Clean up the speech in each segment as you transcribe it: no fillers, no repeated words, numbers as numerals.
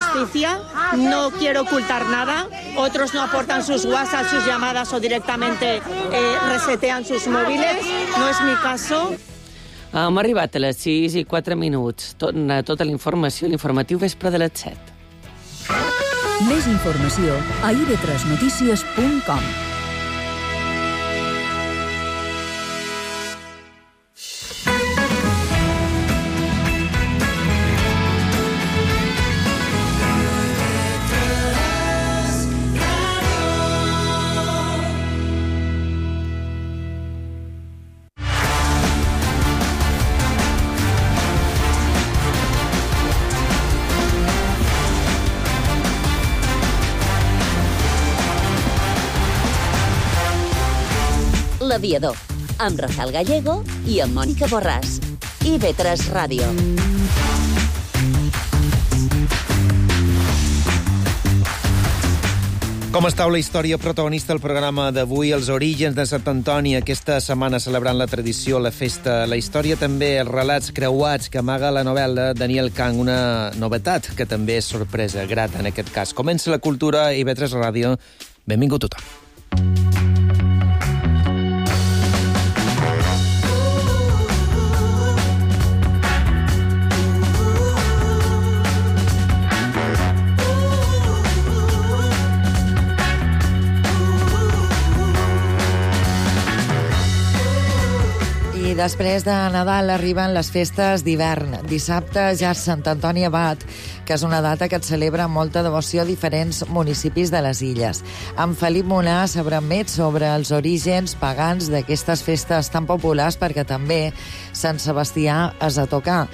justicia, no quiero ocultar nada. Otros no aportan sus WhatsApp, sus llamadas o directamente resetean sus móviles. No es mi caso. Hem arribat a les 6:04. Tota la informació, l'informatiu vespre de les 7. Més informació a ib3notícies.com. L'Aviador, amb Rafael Gallego i amb Mònica Borràs. IB3 Ràdio. Com estàu la història protagonista del programa d'avui, els orígens de Sant Antoni, aquesta setmana celebrant la tradició, la festa, la història també, els relats creuats que amaga la novel·la Daniel Kahn, una novetat que també és sorpresa, grata en aquest cas. Comença la cultura i IB3 Ràdio. Benvingut tothom. Després de Nadal arriben les festes d'hivern. Dissabte ja és Sant Antoni Abat, que és una data que et celebra amb molta devoció a diferents municipis de les illes. Amb Felip Molà sabrem més sobre els orígens pagans d'aquestes festes tan populars, perquè també Sant Sebastià és a tocar.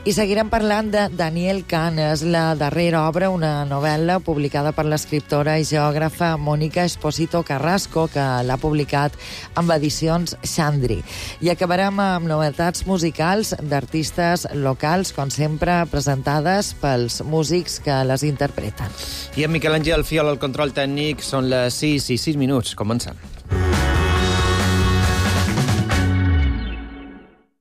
I seguirem parlant de Daniel Kahn. És la darrera obra, una novel·la publicada per l'escriptora i geògrafa Mónica Esposito Carrasco, que l'ha publicat amb edicions Xandri. I acabarem amb novetats musicals d'artistes locals, com sempre presentades pels músics que les interpreten. I en Miquel Àngel Fiol, el control tècnic, són les 6:06. Comencem.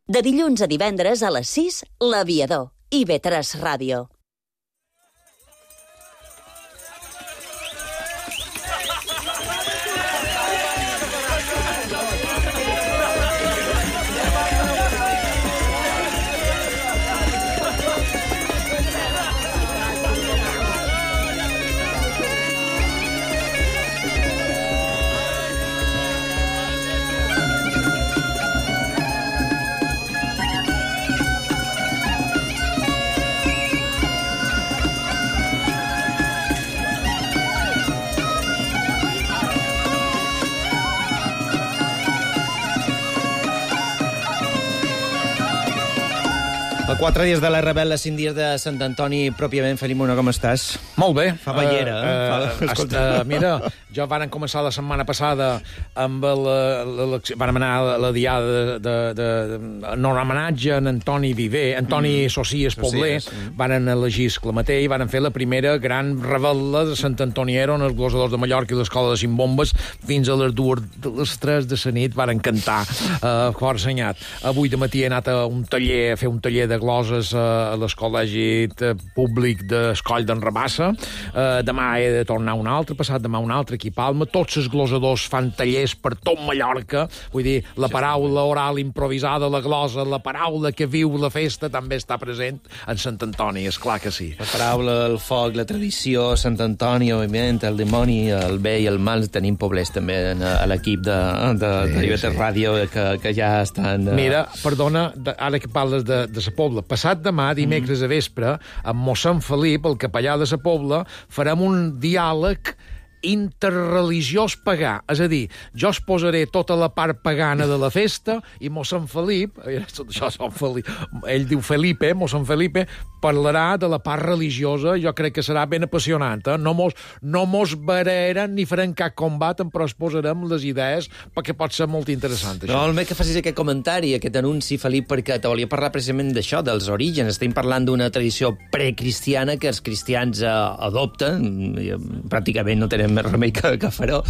De dilluns a divendres a les 6, L'Aviador, IB3 Ràdio. A 4 dies de la rebel·la, 5 dies de Sant Antoni, pròpiament. Felip Molà, com estàs? Molt bé. Fa ballera, Escolta, mira, jo varen començar la setmana passada amb vàrem anar a la diada en homenatge a Antoni Viver, Antoni Socies Pobler, varen elegir Esclamatell i varen fer la primera gran rebel·la de Sant Antoniero en els glosadors de Mallorca i l'Escola de Cinc-Bombes fins a les 3 de la nit varen cantar força anyat. Avui de matí he anat a fer un taller de gloses a l'Escol·legi Públic d'Escoll d'en Rabassa. Demà he de tornar un altre, passat demà un altre aquí a Palma. Tots els glosadors fan tallers per tot Mallorca. Vull dir, la paraula oral improvisada, la glosa, la paraula que viu la festa també està present en Sant Antoni, és clar que sí. La paraula, el foc, la tradició, Sant Antoni, òbviament, el dimoni, el bé i el mal. Tenim poblers també a l'equip de IB3 Ràdio que ja estan... Mira, perdona, ara que parles de la Pobla, passat demà, dimecres a vespre, amb mossèn Felip, el capellà de la Pobla, farem un diàleg interreligiós pagà. És a dir, jo es posaré tota la part pagana de la festa i mossèn Felip, ell diu Felipe, mossèn Felipe, parlarà de la part religiosa. Jo crec que serà ben apassionant. No mos barreren ni farem cap combat, però es posarem les idees perquè pot ser molt interessant, això. No, el més que facis aquest comentari, aquest anunci, Felip, perquè te volia parlar precisament d'això, dels orígens. Estem parlant d'una tradició precristiana que els cristians adopten. Pràcticament no tenem més remei que faró,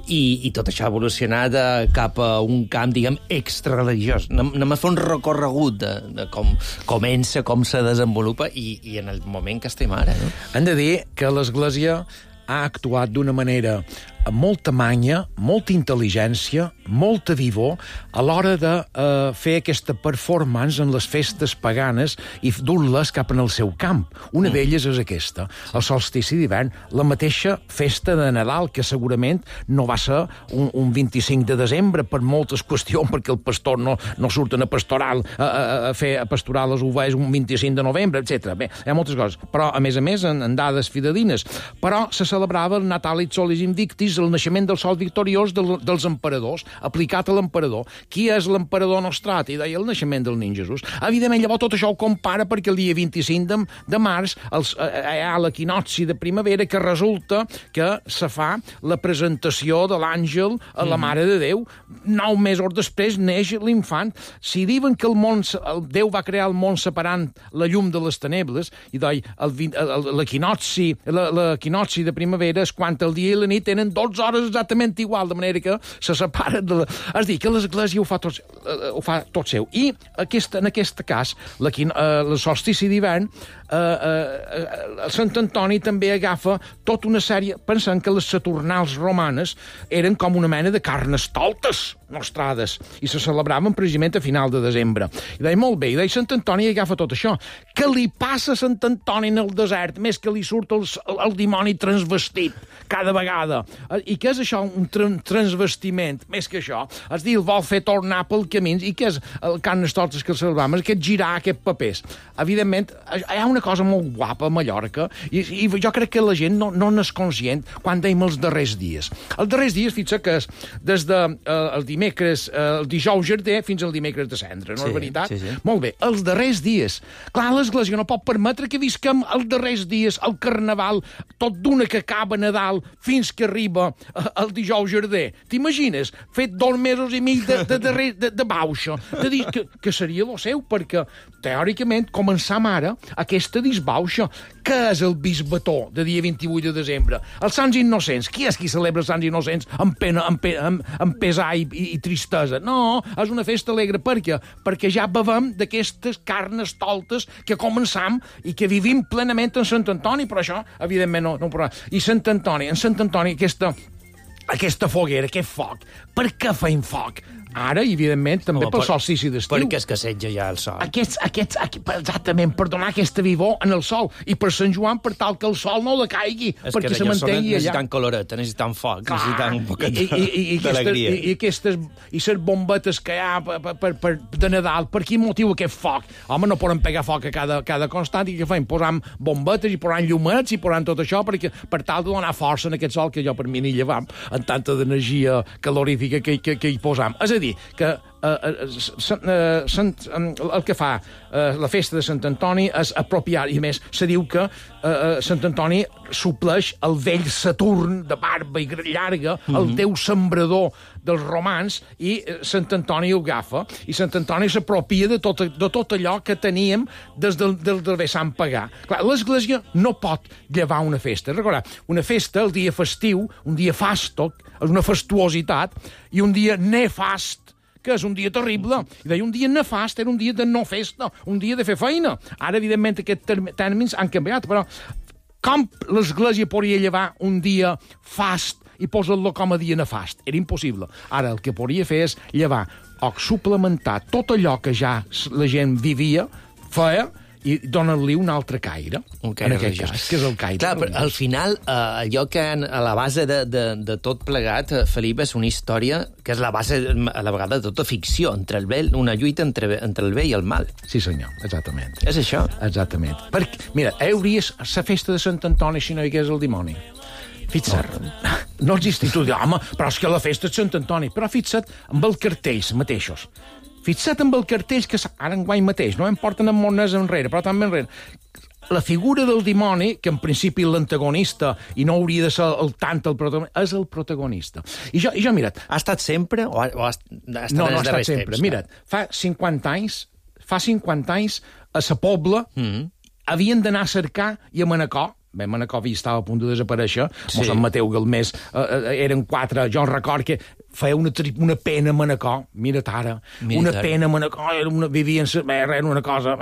i tot això ha evolucionat cap a un camp, diguem, extrareligiós. Anem a fer un recorregut de com comença, com se desenvolupa i en el moment que estem ara, no? Hem de dir que l'Església ha actuat d'una manera amb molta manya, molta intel·ligència, molta vivor, a l'hora de fer aquesta performance en les festes paganes i dur-les cap en el seu camp. Una d'elles és aquesta, el solstici d'hivern, la mateixa festa de Nadal, que segurament no va ser un 25 de desembre per moltes qüestions, perquè el pastor no surten a pasturar les ovelles un 25 de novembre, etc. Bé, hi ha moltes coses, però a més, en dades fidedignes. Però se celebrava el Natalis Solis Invictis, el naixement del sol victoriós dels emperadors, aplicat a l'emperador. Qui és l'emperador Nostrati? Deia el naixement del nin Jesús. Evidentment, llavors tot això ho compara perquè el dia 25 de març hi ha l'equinocci de primavera, que resulta que se fa la presentació de l'àngel a la Mare de Déu. 9 mesos després neix l'infant. Si diuen que Déu va crear el món separant la llum de les tenebles, i l'equinocci de primavera és quan el dia i la nit tenen 12 hores exactament igual, de manera que se separen de la... És dir, que l'Església ho fa tot seu. I en aquest cas, el solstici d'hivern, Sant Antoni també agafa tota una sèrie, pensant que les Saturnals romanes eren com una mena de carnestoltes nostrades, i se celebraven precisament a final de desembre. I deia, molt bé, i deia, Sant Antoni agafa tot això. Què li passa a Sant Antoni en el desert, més que li surt el dimoni transvestit cada vegada? I què és això, un transvestiment? Més que això, és dir, el vol fer tornar pel camí, i què és el carnestoltes que celebràvem? Aquest girar, aquest papers. Evidentment, hi ha una cosa molt guapa a Mallorca, i jo crec que la gent no n'és conscient quan dèiem els darrers dies. Els darrers dies, fixa que és des del dimecres, el dijous Jardí, fins al dimecres de Cendra, no és veritat? Sí. Molt bé, els darrers dies. Clar, l'Església no pot permetre que visquem els darrers dies, el Carnaval, tot d'una que acaba Nadal fins que arriba el dijous Jardí. T'imagines? Fet 2 mesos i mig de bauxa. De dir que seria el seu, perquè teòricament començam ara aquesta disbauxa. Què és el bisbató de dia 28 de desembre? Els Sants Innocents. Qui és qui celebra els Sants Innocents amb pena, amb pesar i tristesa? No, és una festa alegre. Per què? Perquè ja bevem d'aquestes carnestoltes que començam i que vivim plenament en Sant Antoni, però això, evidentment, no ho podrà. I Sant Antoni, aquesta foguera, aquest foc. Per què feim foc? Ara, evidentment, també pel solstici d'estiu. Perquè escasseja ja el sol. Exactament, per donar aquesta vivor en el sol. I per Sant Joan, per tal que el sol no decaigui, perquè se mantengui allà. Necessitant coloreta, necessitant foc, necessitant un poquet d'alegria. I les bombetes que hi ha de Nadal, per quin motiu aquest foc? Home, no poden pegar foc a cada constant, i què fem? Posam bombetes i posam llumets i posam tot això per tal de donar força en aquest sol que jo per mi ni llevam, en tanta d'energia calorífica que hi posam. És a dir, que el que fa la festa de Sant Antoni és apropiar, i més, se diu que Sant Antoni supleix el vell Saturn de barba i llarga, el déu sembrador dels romans, i Sant Antoni ho agafa, i Sant Antoni s'apropia de tot allò que teníem des del vessant pagà. Clar, l'Església no pot llevar una festa. Recordar, una festa, el dia festiu, un dia fastoc, és una fastuositat, i un dia nefast, que és un dia terrible. I deia, un dia nefast era un dia de no festa, un dia de fer feina. Ara, evidentment, aquests tèrmins han canviat, però com l'Església podria llevar un dia fast i posar-lo com a dia nefast? Era impossible. Ara, el que podria fer és llevar o suplementar tot allò que ja la gent vivia, feia, i donar-li un altre caire, en aquest cas, que és el caire. Clar, però al final, allò que a la base de tot plegat, Felip, és una història que és la base, a la vegada, de tota ficció, una lluita entre el bé i el mal. Sí, senyor, exactament. És això? Exactament. Perquè, mira, hauries la festa de Sant Antoni si no hi hagués el dimoni. Fixa't, no existit. Tu dius, home, però és que la festa és Sant Antoni. Però fixa't amb els cartells mateixos. Fixa't amb el cartell que ara enguany mateix, no em porten amb mones enrere, però també enrere. La figura del dimoni, que en principi l'antagonista, i no hauria de ser el protagonista, és el protagonista. I jo, mira't... Ha estat sempre o ha estat no ha estat sempre. Mira't, fa 50 anys, a sa Pobla, havien d'anar a cercar i a Manacor, Manacor estava a punt de desaparèixer, Sant Mateu Galmés, eren 4, jo record que feia una pena a Manacor, mira't ara, una pena a Manacor, vivien, era una cosa...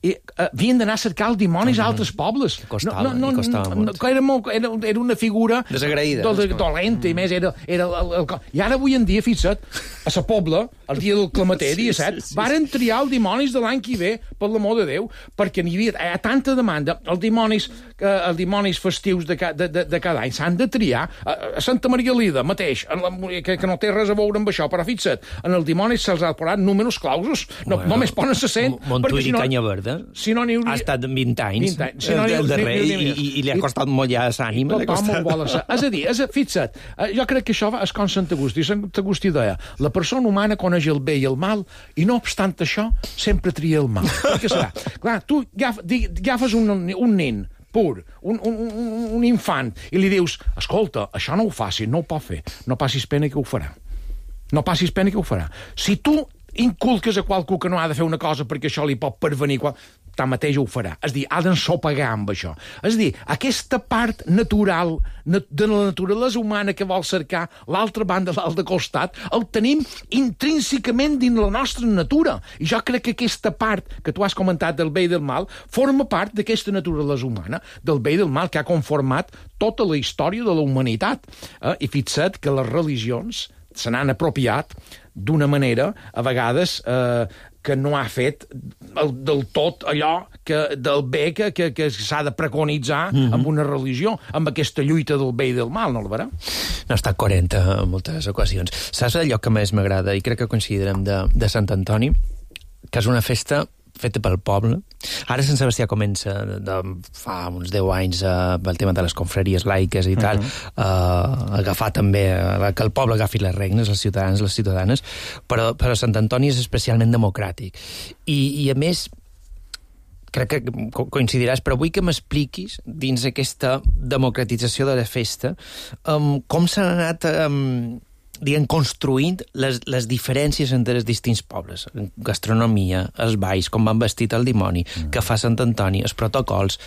I havien d'anar a cercar els dimonis a altres pobles. Costava molt. Era una figura... Desagraïda. Dolenta, i més era... I ara, avui en dia, fixa't, a la Pobla, el dia del Clamater, dia 7, varen triar els dimonis de l'any que ve, per l'amor de Déu, perquè n'hi havia tanta demanda. Els dimonis festius de cada any s'han de triar. A Santa Maria Lida, mateix, que no té res a veure amb això, però fixa't, en els dimonis se'ls ha posat números clausos, només ponen 100. Montuir i Canya Verda ha estat 20 anys del darrer i li ha costat molt ja l'ànima. És a dir, fixa't, jo crec que això és com Sant Agustí. Sant Agustí deia, la persona humana coneix el bé i el mal i no obstant això sempre tria el mal. Què serà? Clar, tu agafes un nen pur, un infant, i li dius, escolta, això no ho facis, no ho pot fer, no passis pena que ho farà. No passis pena que ho farà. Si tu inculques a qualcú que no ha de fer una cosa perquè això li pot pervenir, tanmateix ho farà. És a dir, ha d'ensopegar amb això. És a dir, aquesta part natural de la naturalesa humana que vol cercar l'altra banda, l'altre costat, el tenim intrínsecament dins la nostra natura. I jo crec que aquesta part que tu has comentat del bé i del mal forma part d'aquesta naturalesa humana, del bé i del mal, que ha conformat tota la història de la humanitat. I fixa't que les religions se n'han apropiat d'una manera, a vegades, que no ha fet del tot allò del bé que s'ha de preconitzar amb una religió, amb aquesta lluita del bé i del mal, no el verà? No ha estat coherent en moltes ocasions. Saps el lloc que més m'agrada, i crec que coincidirem, de Sant Antoni? Que és una festa feta pel poble. Ara Sant Sebastià comença, fa uns 10 anys, pel tema de les confraries laiques i tal, agafar també, que el poble agafi les regnes, els ciutadans, les ciutadanes, però Sant Antoni és especialment democràtic. I a més, crec que coincidiràs, però vull que m'expliquis, dins aquesta democratització de la festa, com s'han anat construint les diferències entre els distints pobles. Gastronomia, els balls, com van vestit el dimoni, que fa Sant Antoni, els protocols.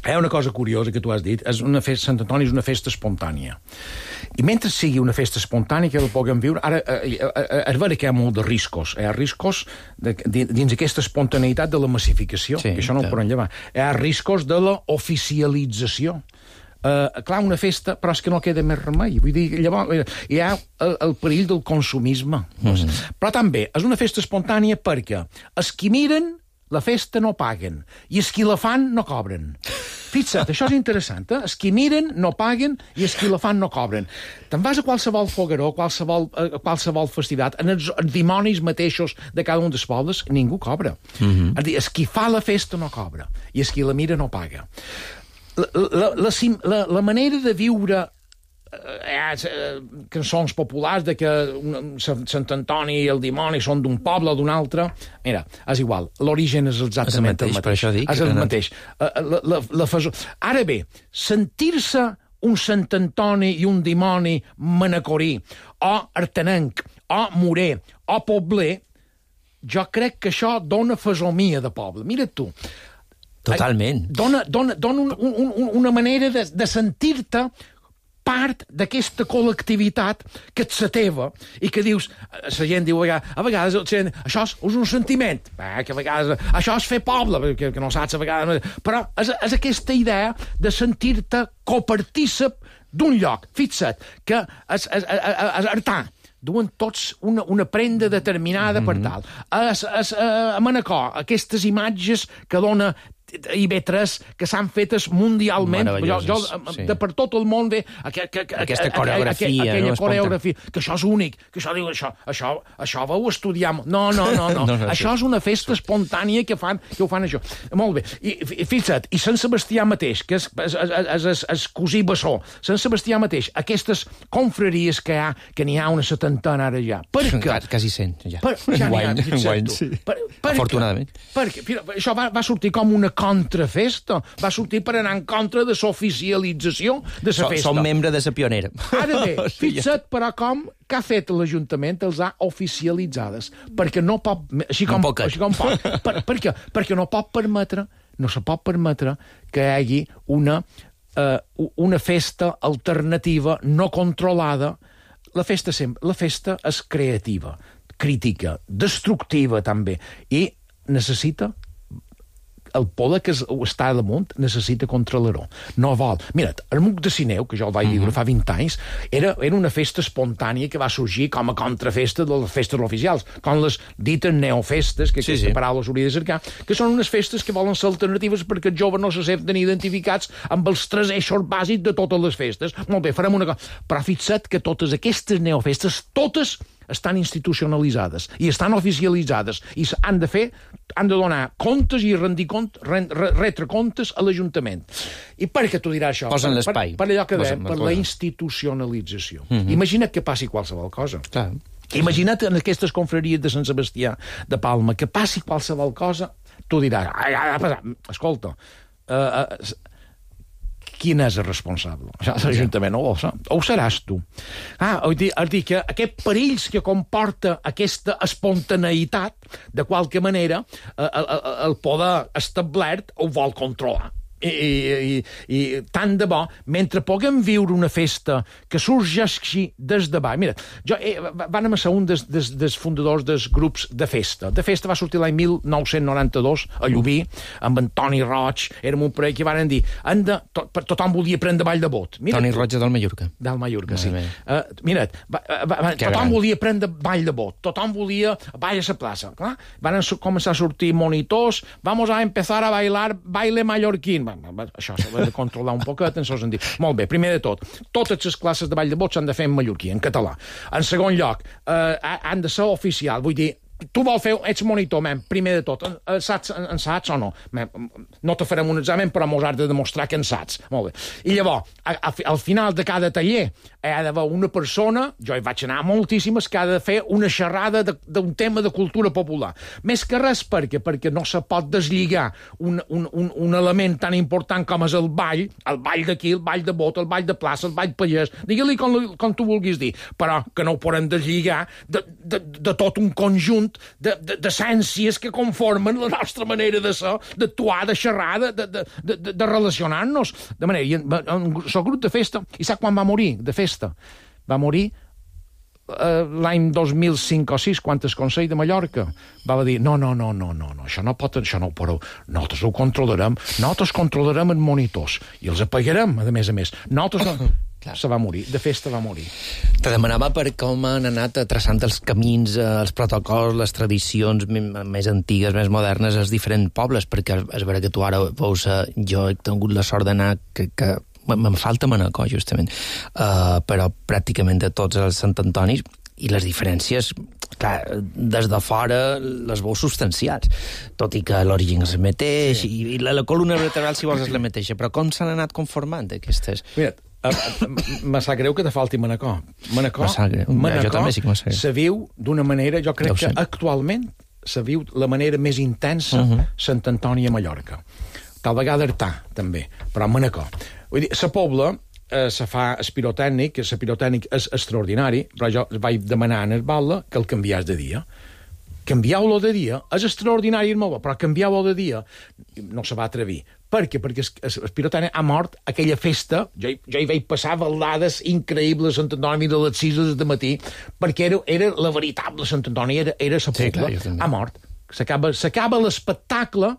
Hi ha una cosa curiosa que tu has dit. Sant Antoni és una festa espontània. I mentre sigui una festa espontània que la puguem viure, ara és vera que hi ha molt de riscos. Hi ha riscos dins aquesta espontaneïtat de la massificació, que això no ho podem llevar. Hi ha riscos de la oficialització. Clar, una festa, però és que no queda més remei. Vull dir, llavors hi ha el perill del consumisme. Però també és una festa espontània perquè els qui miren la festa no paguen i els qui la fan no cobren. Fixa't, això és interessant, eh? Els qui miren no paguen i els qui la fan no cobren. Te'n vas a qualsevol fogueró, qualsevol festivitat, en els dimonis mateixos de cada un dels pobles, ningú cobra. És a dir, els qui fa la festa no cobra i els qui la mira no paga. La manera de viure cançons populars de que Sant Antoni i el dimoni són d'un poble o d'un altre, mira, és igual, l'origen és exactament el mateix. Per això dic. És el mateix. Ara bé, sentir-se un Sant Antoni i un dimoni manacorí, o artenenc, o morer, o pobler, jo crec que això dona fesomia de poble. Mira't tu. Totalment. Dona una manera de sentir-te part d'aquesta col·lectivitat que ets la teva i que dius, la gent diu a vegades això és un sentiment, que a vegades això és fer poble, que no saps a vegades, però és aquesta idea de sentir-te copartícip d'un lloc. Fixa't, que és artà, duen tots una prenda determinada per tal. A Manacor, aquestes imatges que dona IB3 que s'han fetes mundialment per tot el món aquesta coreografia, aquella coreografia, que això és únic, que això vau estudiar. No. Això és una festa espontània que ho fan això. Molt bé. I fixa't, i Sant Sebastià mateix, que és cosí bessó, Sant Sebastià mateix, aquestes confraries que n'hi ha una 70 ara ja. Quasi 100, ja. Afortunadament. Perquè això va sortir com una contrafesta, va sortir per anar en contra de l'oficialització de la festa. Som membre de la pionera. Ara bé, fixa't, però com que ha fet l'Ajuntament els ha oficialitzades, perquè no pot, així com pot. Per què? Perquè no pot permetre no se pot permetre que hi hagi una festa alternativa no controlada. La festa és creativa, crítica, destructiva també, i necessita el poder que està damunt necessita controlar-ho. No vol. Mira't, el MUC de Sineu, que jo el vaig viure fa 20 anys, era una festa espontània que va sorgir com a contrafesta de les festes oficials, com les dites neofestes, que aquesta paraula s'hauria de cercar, que són unes festes que volen ser alternatives perquè els joves no se senten identificats amb els 3 eixos bàsics de totes les festes. Molt bé, farem una cosa. Però fixa't que totes aquestes neofestes, totes estan institucionalitzades i estan oficialitzades i han de donar comptes i retre comptes a l'Ajuntament. I per què t'ho dirà això? Posen l'espai. Per allò que dèiem, per la institucionalització. Imagina't que passi qualsevol cosa. Clar. Imagina't en aquestes confraries de Sant Sebastià de Palma que passi qualsevol cosa, tu diràs, escolta, quin és el responsable? L'Ajuntament no ho sap. O ho seràs tu. És dir que aquest perills que comporta aquesta espontaneïtat, de qualque manera, el poder establert ho vol controlar. I tant de bo, mentre puguem viure una festa que sorgeixi des de baix. Mira, vam ser un dels fundadors dels grups de festa. De festa va sortir l'any 1992 a Llubí, amb en Toni Roig, érem un parell que van dir tothom volia prendre ball de bot. Toni Roig del Mallorca. Del Mallorca, sí. Mira't, tothom volia prendre ball de bot, tothom volia ball a la plaça. Van començar a sortir monitors, vamos a empezar a bailar baile mallorquín. Això s'ha de controlar un poquet en el sentit. Molt bé, primer de tot, totes les classes de ball de bot s'han de fer en mallorquí, en català. En segon lloc, han de ser oficial, vull dir, tu vols fer, ets monitor, primer de tot, en saps o no? No te farem un examen, però mos has de demostrar que en saps. Molt bé. I llavors, al final de cada taller, hi ha d'haver una persona, jo hi vaig anar moltíssimes, que ha de fer una xerrada d'un tema de cultura popular. Més que res, perquè no se pot deslligar un element tan important com és el ball d'aquí, el ball de bot, el ball de plaça, el ball pallès, digue-li com tu vulguis dir, però que no ho podem deslligar de tot un conjunt d'essències que conformen la nostra manera de ser, d'actuar, de xerrar, de relacionar-nos. De manera, i el grup de festa, i sap quan va morir de festa? Va morir l'any 2005 o 6, quan el Consell de Mallorca va dir, no, això no ho podeu, nosaltres ho controlarem, nosaltres controlarem els monitors, i els apagarem, a més. Nosaltres no... Se va morir, de festa va morir. Te demanava per com han anat traçant els camins, els protocols, les tradicions més antigues, més modernes, als diferents pobles, perquè és vera que tu ara veus... Jo he tingut la sort d'anar... que me'n falta Manacor, justament, però pràcticament de tots els Sant Antonis, i les diferències, clar, des de fora les veus substancials, tot i que l'origen és el mateix, i la columna vertebral, si vols, és la mateixa, però com s'han anat conformant aquestes... Mira, me sap greu que te falti Manacor. Manacor se viu d'una manera, jo crec que actualment se viu la manera més intensa Sant Antoni a Mallorca. Tal vegada Artà, també, però Manacor. Vull dir, la Pobla se fa espirotècnic, el pirotècnic és extraordinari, però jo vaig demanar en el Batlle que el canviàs de dia. Canvieu-lo de dia, és extraordinari, però canvieu-lo de dia no se va atrevir. Per què? Perquè el pirotècnic ha mort aquella festa, jo hi vaig passar baldades increïbles a Sant Antoni de les 6 del matí, perquè era la veritable Sant Antoni, era la Pobla. Ha mort. S'acaba l'espectacle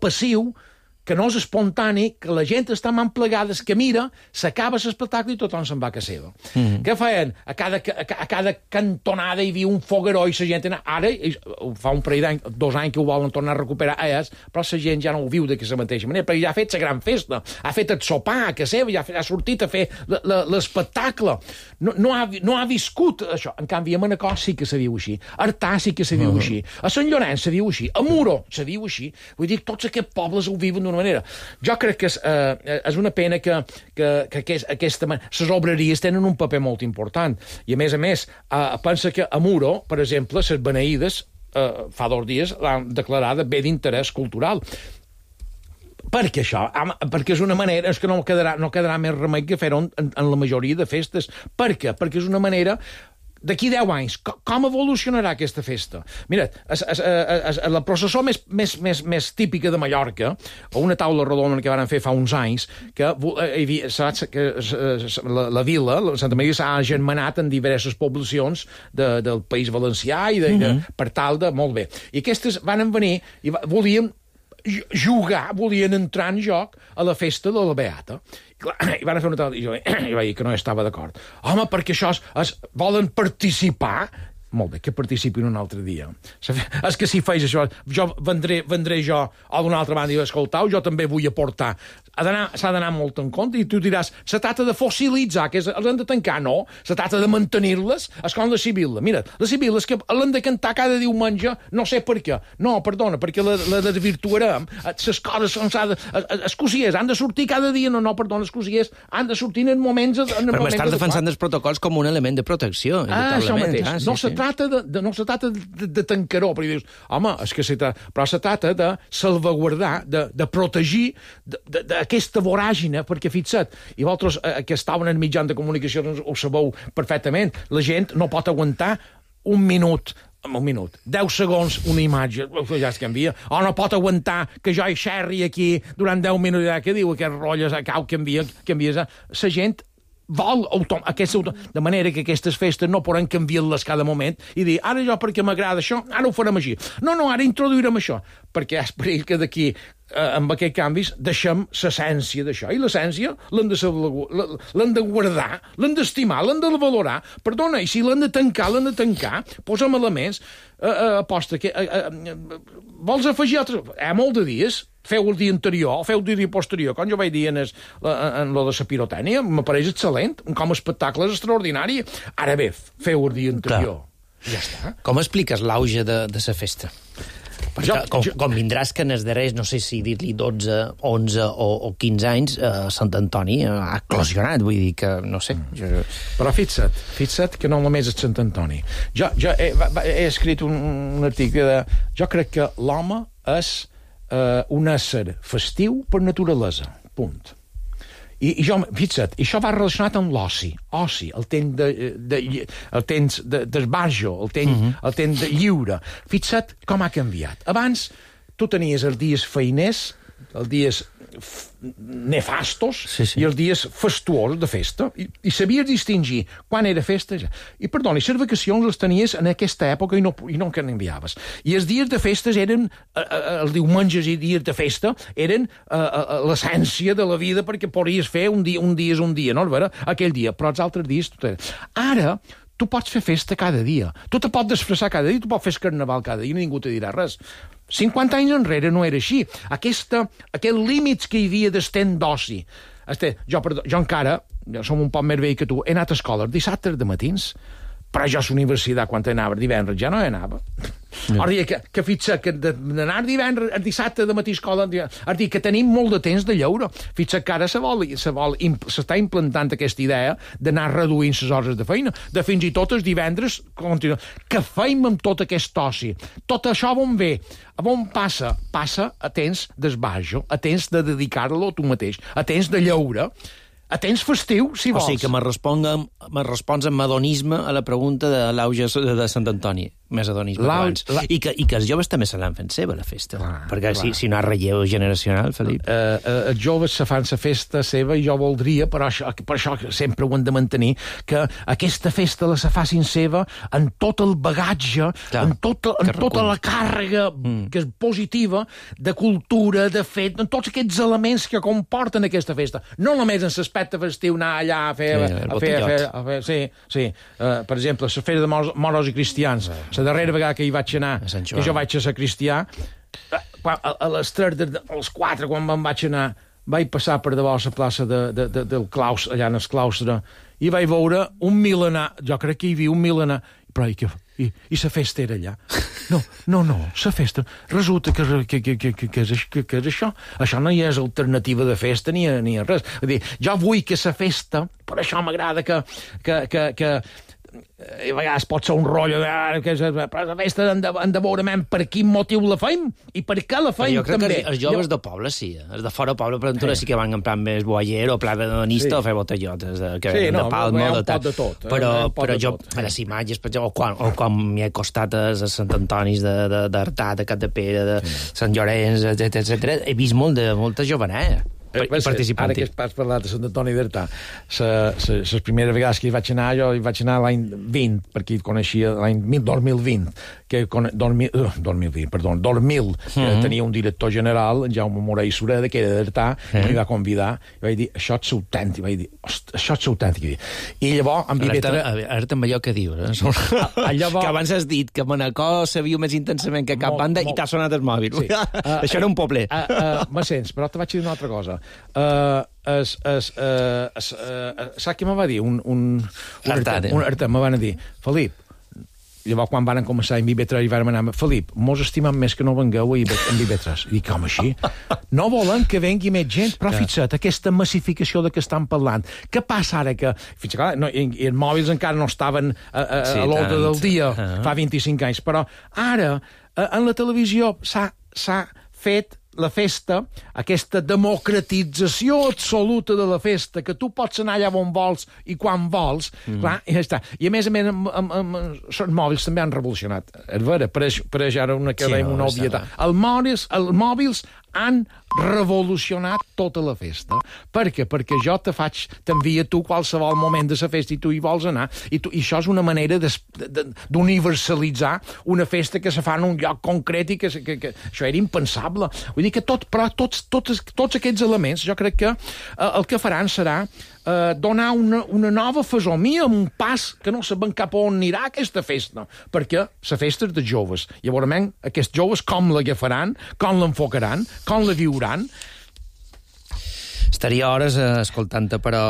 passiu, que no és espontani, que la gent està emplegada, que mira, s'acaba l'espectacle i tothom se'n va a casa seva. Què feien? A cada cantonada hi havia un fogueró i la gent... Ara, fa un parell d'anys, 2 anys que ho volen tornar a recuperar, però la gent ja no ho viu d'aquesta mateixa manera, perquè ja ha fet la gran festa, ha fet el sopar a casa seva, ja ha sortit a fer l'espectacle. No ha viscut això. En canvi, a Manacor sí que se viu així. A Artà sí que se viu així. A Sant Llorenç se viu així. A Muro se viu així. Vull dir, tots aquests pobles ho viuen d'una manera. Jo crec que és una pena que les obreries tenen un paper molt important. I, a més, pensa que a Muro, per exemple, les beneïdes, fa 2 dies, l'han declarada bé d'interès cultural. Per què això? Perquè és una manera... És que no quedarà més remei que fer-ho en la majoria de festes. Per què? Perquè és una manera d'aquí 10 anys, com evolucionarà aquesta festa? Mira, la processó més típica de Mallorca, o una taula rodona que van fer fa uns anys, que la vila, Santa Maria, s'ha agermanat en diverses poblacions del País Valencià i per tal de... Molt bé. I aquestes van venir i volien volien entrar en joc a la festa de la Beata. I van fer una tal... I jo vaig dir que no estava d'acord. Home, perquè això volen participar... Molt bé, que participin un altre dia. És que si feis això, jo vendré jo a d'una altra banda i escoltau, jo també vull aportar. S'ha d'anar molt en compte i tu diràs, se tracta de fossilitzar, que els han de tancar, no. Se tracta de mantenir-les, és com la Sibila. Mira, la Sibila és que l'han de cantar cada diumenge, no sé per què. No, perdona, perquè la desvirtuarem. Les coses els cosiers han de sortir cada dia, no, perdona, els cosiers han de sortir en moments... Però m'estàs defensant els protocols com un element de protecció. Això mateix. No se tracta de tancar-ho, perquè dius, home, és que però se tracta de salvaguardar, de protegir aquesta voràgina, perquè fixa't, i vosaltres que estaven en mitjans de comunicació ho sabeu perfectament, la gent no pot aguantar un minut, 10 segons una imatge, ja es canvia, o no pot aguantar que jo hi xerri aquí durant 10 minuts, que diu aquest rotllo, cau, canvies, la gent vol de manera que aquestes festes no podran canviar-les cada moment i dir, ara jo perquè m'agrada això, ara ho farem així. No, ara introduirem això, perquè és perill que d'aquí amb aquests canvis deixem l'essència d'això. I l'essència l'hem de guardar, l'hem d'estimar, l'hem de valorar. Perdona, i si l'hem de tancar, posa'm elements, aposta que... Vols afegir altres... Molt de dies, feu el dia anterior, o feu el dia posterior, com jo vaig dir en lo de la pirotècnia, m'apareix excel·lent, com a espectacle és extraordinari. Ara bé, feu el dia anterior. Ja està. Com expliques l'auge de la festa? Com vindràs que en els darrers, no sé si dir-li 12, 11 o 15 anys, Sant Antoni ha eclosionat, vull dir que, no sé... Però fixa't que no només és Sant Antoni. Jo he escrit un article de... Jo crec que l'home és un ésser festiu per naturalesa, punt. I fixa't, això va relacionat amb l'oci, el temps d'esbarjo, el temps de lliure. Fixa't com ha canviat. Abans, tu tenies els dies feiners, els dies nefastos i els dies festuosos de festa, i sabies distingir quan era festa. I perdona, les vacacions les tenies en aquesta època i no canviaves. I els dies de festes eren, els diumenges i dies de festa, eren l'essència de la vida, perquè podries fer un dia és un dia, no? Aquell dia, però els altres dies... Ara, tu pots fer festa cada dia, tu te pots disfressar cada dia, tu pots fer carnaval cada dia i ningú te dirà res. 50 anys enrere no era així. Aquests límits que hi havia d'estent d'oci. Jo encara, som un poc més vell que tu, he anat a escola dissabtes de matins, però jo a la universitat, quan anava divendres, ja no hi anava. O dir que fitxa que d'anar divendres, dissabte de matí a escola, és dir que tenim molt de temps de lleure. Fitxa que ara s'està implantant aquesta idea d'anar reduint les hores de feina, de fins i tot els divendres continuar. Què feim amb tot aquest oci? Tot això on ve? On passa? Passa a temps d'esbarjo, a temps de dedicar-lo a tu mateix, a temps de lleure, a temps festiu, si vols. O sigui que me respons amb adonisme a la pregunta de l'auge de Sant Antoni. Més adonisme que abans. I que els joves també se l'han fet seva, la festa. Perquè si no hi ha relleu generacional, Felip... Els joves se fan la festa seva i jo voldria, per això sempre ho hem de mantenir, que aquesta festa la se facin seva en tot el bagatge, en tota la càrrega que és positiva de cultura, de fet, en tots aquests elements que comporten aquesta festa. No només en l'aspecte festiu anar allà a fer... Sí. Per exemple, la festa de moros i cristians, la darrera vegada que hi vaig anar, que jo vaig a ser cristià, a les 3, als 4, quan me'n vaig anar, vaig passar per davant la plaça del claustre, allà en el claustre, i vaig veure un milenar, jo crec que hi havia un milenar, però i la festa era allà. No, la festa. Resulta que és això. Això no hi és alternativa de festa ni res. És dir, jo vull que la festa, per això m'agrada que a vegades pot ser un rotllo però la festa hem de veure per quin motiu la fem i per què la fem, també. Jo crec que els joves de poble sí, els de fora poble, per exemple, sí que van en plan més boier o pla hedonista o fer botellotes de palma o de tal. Però jo, a les imatges, per exemple, o quan m'hi he costat a Sant Antonis d'Artà, de Capdepera, de Sant Llorenç, etc. He vist molta joveneta. Ara que has parlat de Sant Antoni d'Artà, les primeres vegades que hi vaig anar, jo hi vaig anar l'any 20, perquè hi coneixia l'any 2020, tenia un director general, en Jaume Morell Sureda, que era d'Artà, i m'hi va convidar, i vaig dir, això és autèntic, això és autèntic. I llavors, en Vivetra... Ara també allò que dius, que abans has dit que Manacor se viu més intensament que cap banda i t'ha sonat el mòbil. Això era un poblet. Me sents, però te vaig dir una altra cosa. Saps què me va dir? Un artà me van dir, Felip, llavors quan van començar en Vivetres i vam anar, Felip, mos estimem més que no vengueu en Vivetres. I dic, com així? No volen que vengui més gent, però fixa't, aquesta massificació de què estan parlant. Què passa ara que... Fins que els mòbils encara no estaven a l'ordre del dia, fa 25 anys, però ara en la televisió s'ha fet la festa, aquesta democratització absoluta de la festa, que tu pots anar allà on vols i quan vols, clar, i ja està. I a més, els mòbils també han revolucionat. És vera, pareix ara una obvietat. Els mòbils han revolucionat tota la festa. Per què? Perquè jo t'envia tu qualsevol moment de la festa i tu hi vols anar. I això és una manera d'universalitzar una festa que se fa en un lloc concret i que això era impensable. Vull dir que tots aquests elements jo crec que el que faran serà donar una nova fesomia, un pas que no sabem cap on anirà aquesta festa, perquè la festa és de joves. Llavors, aquests joves com l'agafaran, com l'enfocaran, com la viuran. Estaria hores escoltant-te, però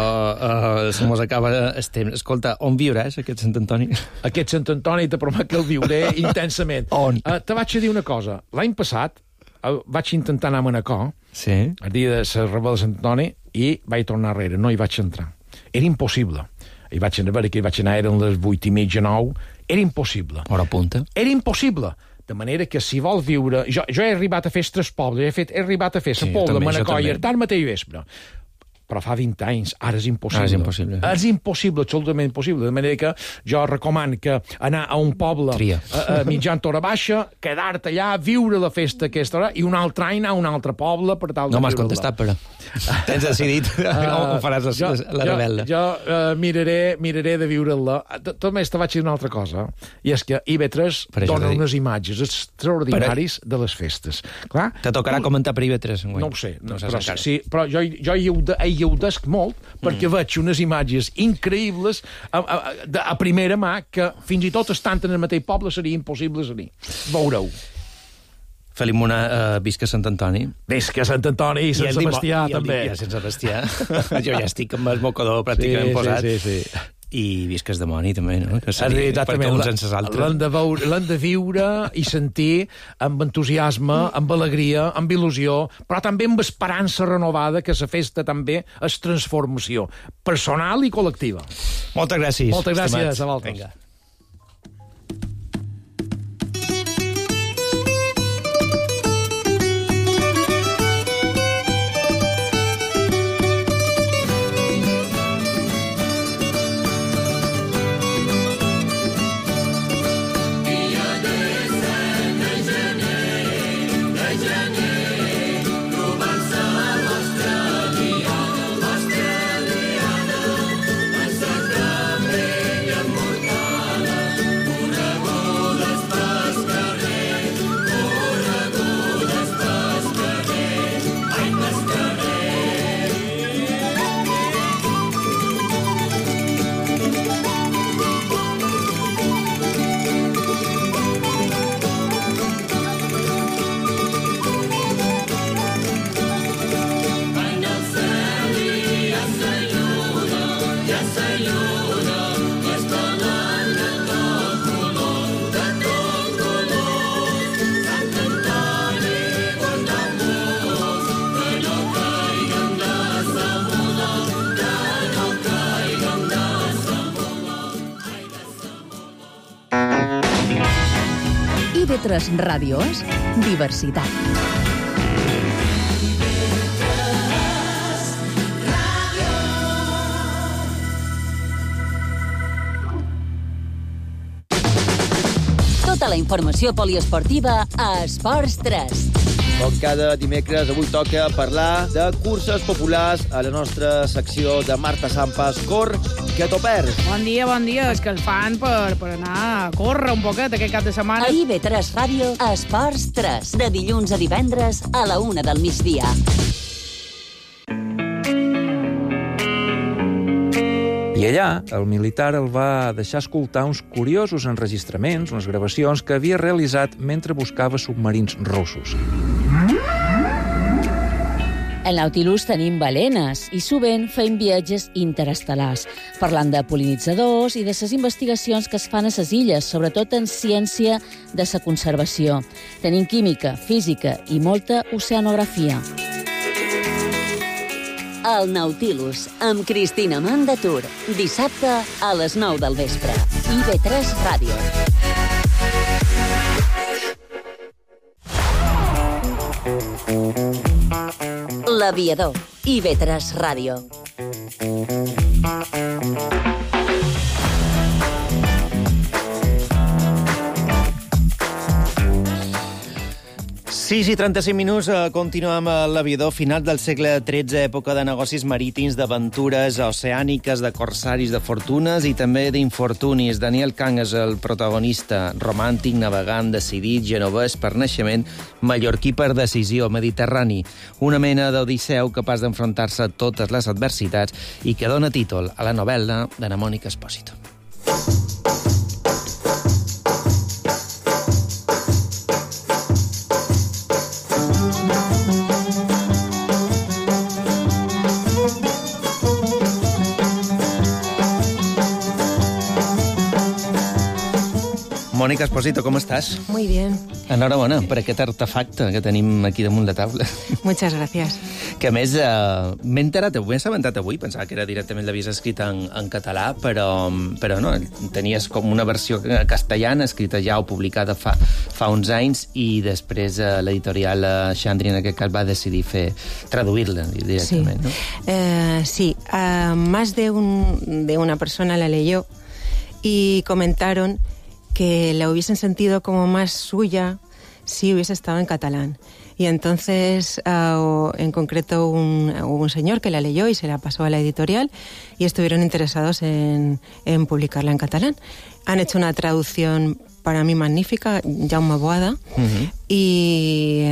se mos acaba el temps. Escolta, on viuràs, aquest Sant Antoni? Aquest Sant Antoni te promet que el viuré intensament. On? Te vaig dir una cosa. L'any passat vaig intentar anar a Manacor, el dia de la rebel de Sant Antoni, i vaig tornar enrere, no hi vaig entrar. Era impossible. Hi vaig anar, eren les 8:30, 9, era impossible. Hora punta. Era impossible. De manera que si vol viure... Jo he arribat a fer tres pobles, he arribat a fer la Pobla, Manacor i Artà al mateix vespre. Però fa 20 anys, ara és impossible. És impossible, absolutament impossible. De manera que jo recomano que anar a un poble mitjan hora baixa, quedar-te allà, viure la festa aquesta hora, i un altre any anar a un altre poble per tal de no m'has contestat, però tens decidit on faràs la rebel·la. Jo miraré de viure-la. Tot més te vaig dir una altra cosa, i és que IB3 dona unes imatges extraordinaris de les festes. Clar, te tocarà comentar per IB3 enguany. No ho sé, però jo hi gaudesc molt, perquè veig unes imatges increïbles a primera mà que fins i tot estant en el mateix poble seria impossible ser-hi. Veureu. Felip Munà, visca Sant Antoni. Visca Sant Antoni i Sant Sebastià, també. I Sant Sebastià. Jo ja estic amb el mocador pràcticament posat. Sí. I visca el dimoni, també, no? Que seria per uns sense altres. L'han de viure i sentir amb entusiasme, amb alegria, amb il·lusió, però també amb esperança renovada, que la festa també és transformació personal i col·lectiva. Moltes gràcies. Moltes gràcies a vosaltres. Vinga. IB3 Ràdio és diversitat. Tota la informació poliesportiva a Esports 3. Com cada dimecres, avui toca parlar de curses populars a la nostra secció de Marta Sampas. Cor, que t'ho perds. Bon dia, és que el fan per anar a córrer un poquet aquest cap de setmana. A IB3 Ràdio, Esports 3, de dilluns a divendres a la 1 del migdia. I allà, el militar el va deixar escoltar uns curiosos enregistraments, unes gravacions que havia realitzat mentre buscava submarins russos. En Nautilus tenim balenes i sovint feim viatges interestel·lars, parlant de pol·linitzadors i de les investigacions que es fan a les illes, sobretot en ciència de la conservació. Tenim química, física i molta oceanografia. El Nautilus, amb Cristina Mandatur, dissabte a les 9 del vespre. IB3 Ràdio. L'Aviador, IB3 Ràdio. 6 i 35 minuts, continuem a l'Aviador, final del segle XIII, època de negocis marítims, d'aventures oceàniques, de corsaris, de fortunes i també d'infortunis. Daniel Kahn és el protagonista, romàntic, navegant, decidit, genovès per naixement, mallorquí per decisió, mediterrani. Una mena d'odisseu capaç d'enfrontar-se a totes les adversitats i que dona títol a la novel·la d'Anna Mònica Espósito. Mònica Espósito, ¿cómo estás? Muy bien. Enhorabona per aquest artefacte que tenim aquí damunt la taula. Muchas gracias. Que a més, m'he enterat, m'he assabentat avui, pensava que era directament l'havies escrit en català, però no, tenies com una versió castellana escrita ja o publicada fa uns anys i després l'editorial Xandri en aquest cas va decidir traduir-la directament, sí. ¿no? Sí, más de una persona la leyó y comentaron que la hubiesen sentido como más suya si hubiese estado en catalán. Y entonces, en concreto, hubo un señor que la leyó y se la pasó a la editorial y estuvieron interesados en publicarla en catalán. Han hecho una traducción para mí magnífica, Jaume Boada, y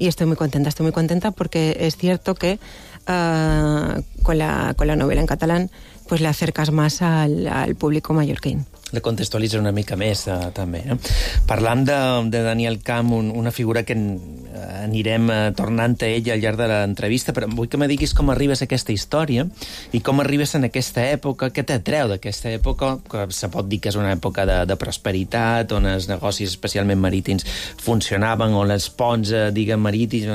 estoy muy contenta porque es cierto que con la novela en catalán pues le acercas más al público mallorquín. La contextualitza una mica més, també. Parlant de Daniel Kahn, una figura que anirem tornant a ella al llarg de l'entrevista, però vull que me diguis com arribes a aquesta història i com arribes en aquesta època, què t'atreu d'aquesta època, que se pot dir que és una època de prosperitat, on els negocis, especialment marítims, funcionaven, on els ponts, marítims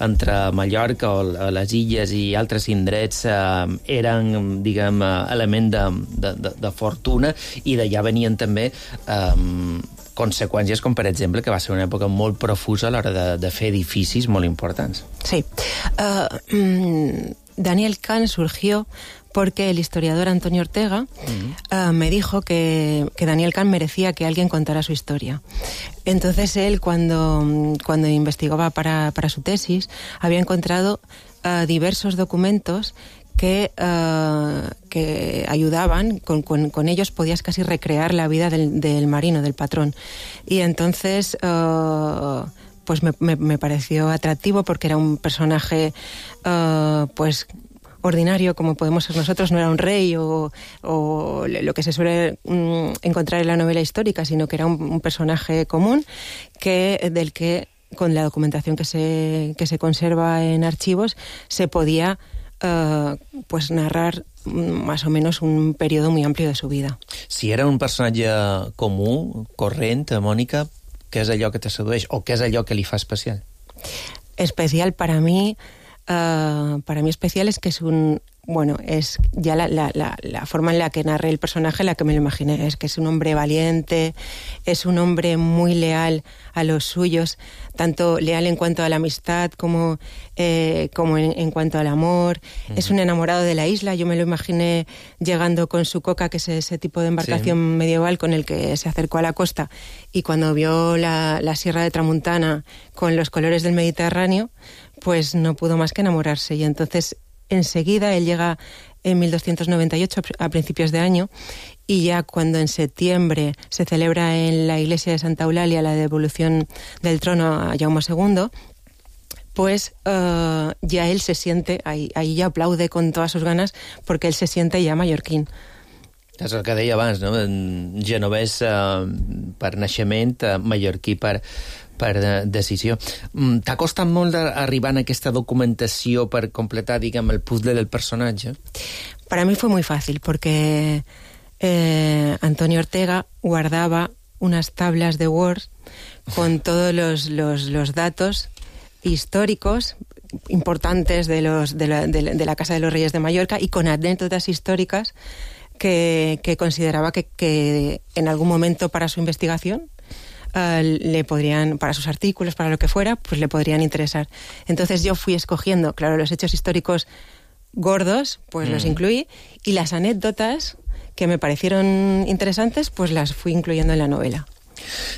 entre Mallorca o les illes i altres indrets eren, element de fortuna, i ja venien també conseqüències com, per exemple, que va ser una època molt profusa a l'hora de fer edificis molt importants. Sí. Daniel Kahn surgió porque el historiador Antonio Ortega me dijo que Daniel Kahn merecía que alguien contara su historia. Entonces él, cuando investigaba para su tesis, había encontrado diversos documentos que ayudaban, con ellos podías casi recrear la vida del marino, del patrón. Y entonces pues me pareció atractivo porque era un personaje pues ordinario como podemos ser nosotros, no era un rey o lo que se suele encontrar en la novela histórica, sino que era un personaje común del que con la documentación que se conserva en archivos se podía pues narrar más o menos un periodo muy amplio de su vida. Si era un personatge comú, corrent, Mònica, què és allò que te sedueix o què és allò que li fa especial? Especial para mí especial es que es un bueno, es ya la forma en la que narré el personaje, la que me lo imaginé, es que es un hombre valiente, es un hombre muy leal a los suyos, tanto leal en cuanto a la amistad como en cuanto al amor. Es un enamorado de la isla. Yo me lo imaginé llegando con su coca, que es ese tipo de embarcación medieval con el que se acercó a la costa, y cuando vio la Sierra de Tramuntana con los colores del Mediterráneo, pues no pudo más que enamorarse. Y entonces enseguida él llega en 1298, a principios de año, y ya cuando en septiembre se celebra en la iglesia de Santa Eulalia la devolución del trono a Jaume II, pues ya él se siente, ahí ya aplaude con todas sus ganas, porque él se siente ya mallorquín. És el que deia abans, no? Genovès per naixement, mallorquí per decisió. T'ha costat molt arribar a aquesta documentació per completar, diguem, el puzzle del personatge? Para mí fue muy fácil, porque Antonio Ortega guardaba unas tablas de Word con todos los datos históricos importantes de la Casa de los Reyes de Mallorca, y con anécdotas históricas que consideraba que en algún momento para su investigación le podrían, para sus artículos, para lo que fuera, pues le podrían interesar. Entonces yo fui escogiendo, claro, los hechos históricos gordos, pues los incluí, y las anécdotas que me parecieron interesantes, pues las fui incluyendo en la novela.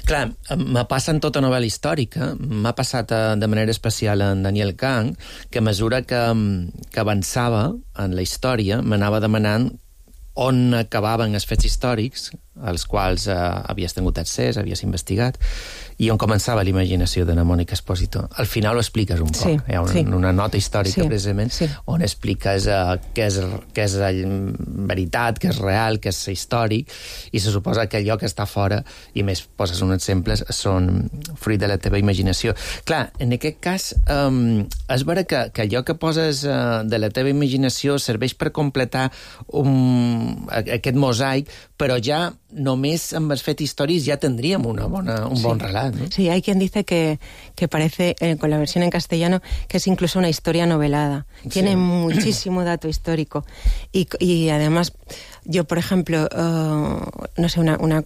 Clar, me passa en tota novel·la històrica, m'ha passat de manera especial en Daniel Kahn, que a mesura que avançava en la història m'anava demanant on acabaven els fets històrics, als quals havies tingut accés, havies investigat, i on començava la imaginació de la Mònica Espósito. Al final ho expliques un poc. Hi ha una nota històrica, precisament, on expliques què és veritat, què és real, què és històric, i se suposa que allò que està fora, i més poses uns exemples, són fruit de la teva imaginació. Clar, en aquest cas, és vera que allò que poses de la teva imaginació serveix per completar aquest mosaic, però ja només amb els fets històrics ja tendríem un bon relat, ¿no? Sí, hay quien dice que parece, con la versión en castellano, que es incluso una historia novelada. Tiene muchísimo dato histórico. Y además, yo, por ejemplo, no sé, una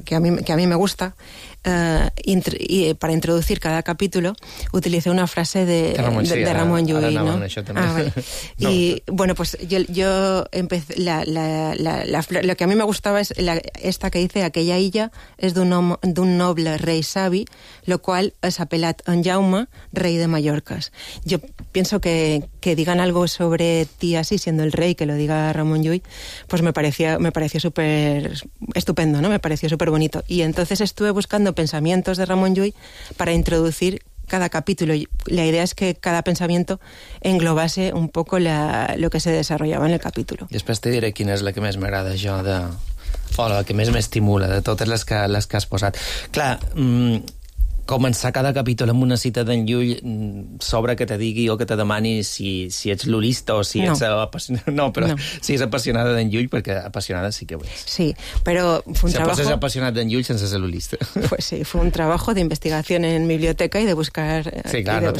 que a mí me gusta, para introducir cada capítulo, utilicé una frase de Ramon Llull, ¿no? Vale. No. Y bueno, pues yo empecé, lo que a mí me gustaba es esta que dice: aquella illa és d'un noble rei savi, lo cual es apelat en Jaume, rey de Mallorcas. Yo pienso que digan algo sobre ti así, siendo el rey, que lo diga Ramon Llull, pues me pareció súper estupendo, ¿no? Me pareció súper bonito. Y entonces estuve buscando pensamientos de Ramon Llull para introducir cada capítulo. La idea es que cada pensamiento englobase un poco lo que se desarrollaba en el capítulo. Després te diré quina és la que més m'agrada jo o la que més m'estimula de totes les que has posat. Clar, començar cada capítol amb una cita d'en Llull sobre que te digui o que te demani si ets lulista o si ets apassionada. No, però si és apassionada d'en Llull, perquè apassionada sí que ho és. Sí, pero fue un trabajo... Se apasionat d'en Llull sense ser lulista. Pues sí, fue un trabajo de investigación en biblioteca y de buscar... Sí, claro,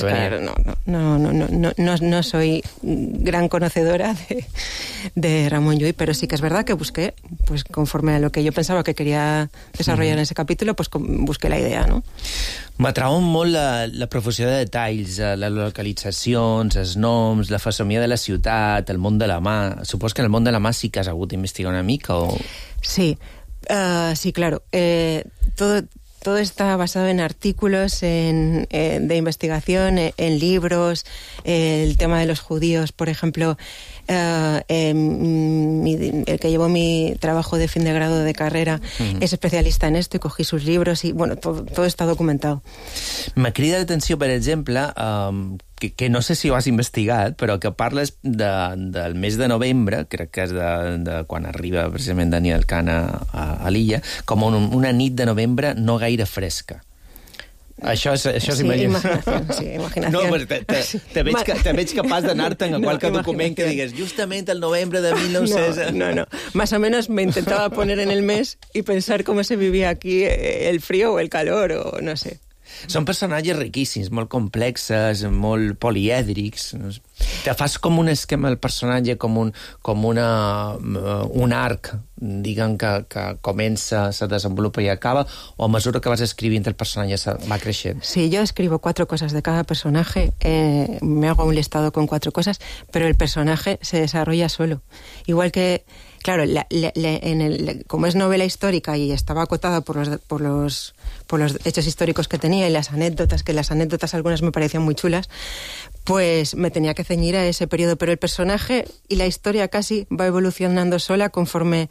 no soy gran conocedora de Ramon Llull, pero sí que es verdad que busqué, pues conforme a lo que yo pensaba que quería desarrollar en ese capítulo, pues busqué la idea, ¿no? M'atrauen molt la profusió de detalls, les localitzacions, els noms, la fesomia de la ciutat, el món de la mà. Supos que en el món de la mà sí que has hagut d'investigar una mica, o...? Sí, sí, claro. Todo está basado en artículos de investigación, en libros, el tema de los judíos, por ejemplo, el que llevó mi trabajo de fin de grado de carrera es especialista en esto y cogí sus libros y, bueno, todo está documentado. Me crida l'atenció, per exemple, que no sé si ho has investigat, però que parles del mes de novembre, crec que és de quan arriba precisament Daniel Kahn a l'illa, com una nit de novembre no gaire fresca. Això és imaginació. Sí, imaginació. No, però te veig capaç d'anar-te'n a qualque document que digues justament el novembre de 1900... No. Más o menos me intentaba poner en el mes y pensar cómo se vivía aquí el frío o el calor, o no sé. Són personatges riquíssims, molt complexes, molt polièdrics. Te fas com un esquema del personatge, com un arc, diguem, que comença, se desenvolupa i acaba, o a mesura que vas escrivint el personatge va creixent? Sí, yo escribo 4 cosas de cada personaje, me hago un listado con 4 cosas, pero el personaje se desarrolla solo. Igual que, claro, como es novela histórica y estaba acotada por los hechos históricos que tenía y las anécdotas algunas me parecían muy chulas, pues me tenía que ceñir a ese periodo. Pero el personaje y la historia casi va evolucionando sola conforme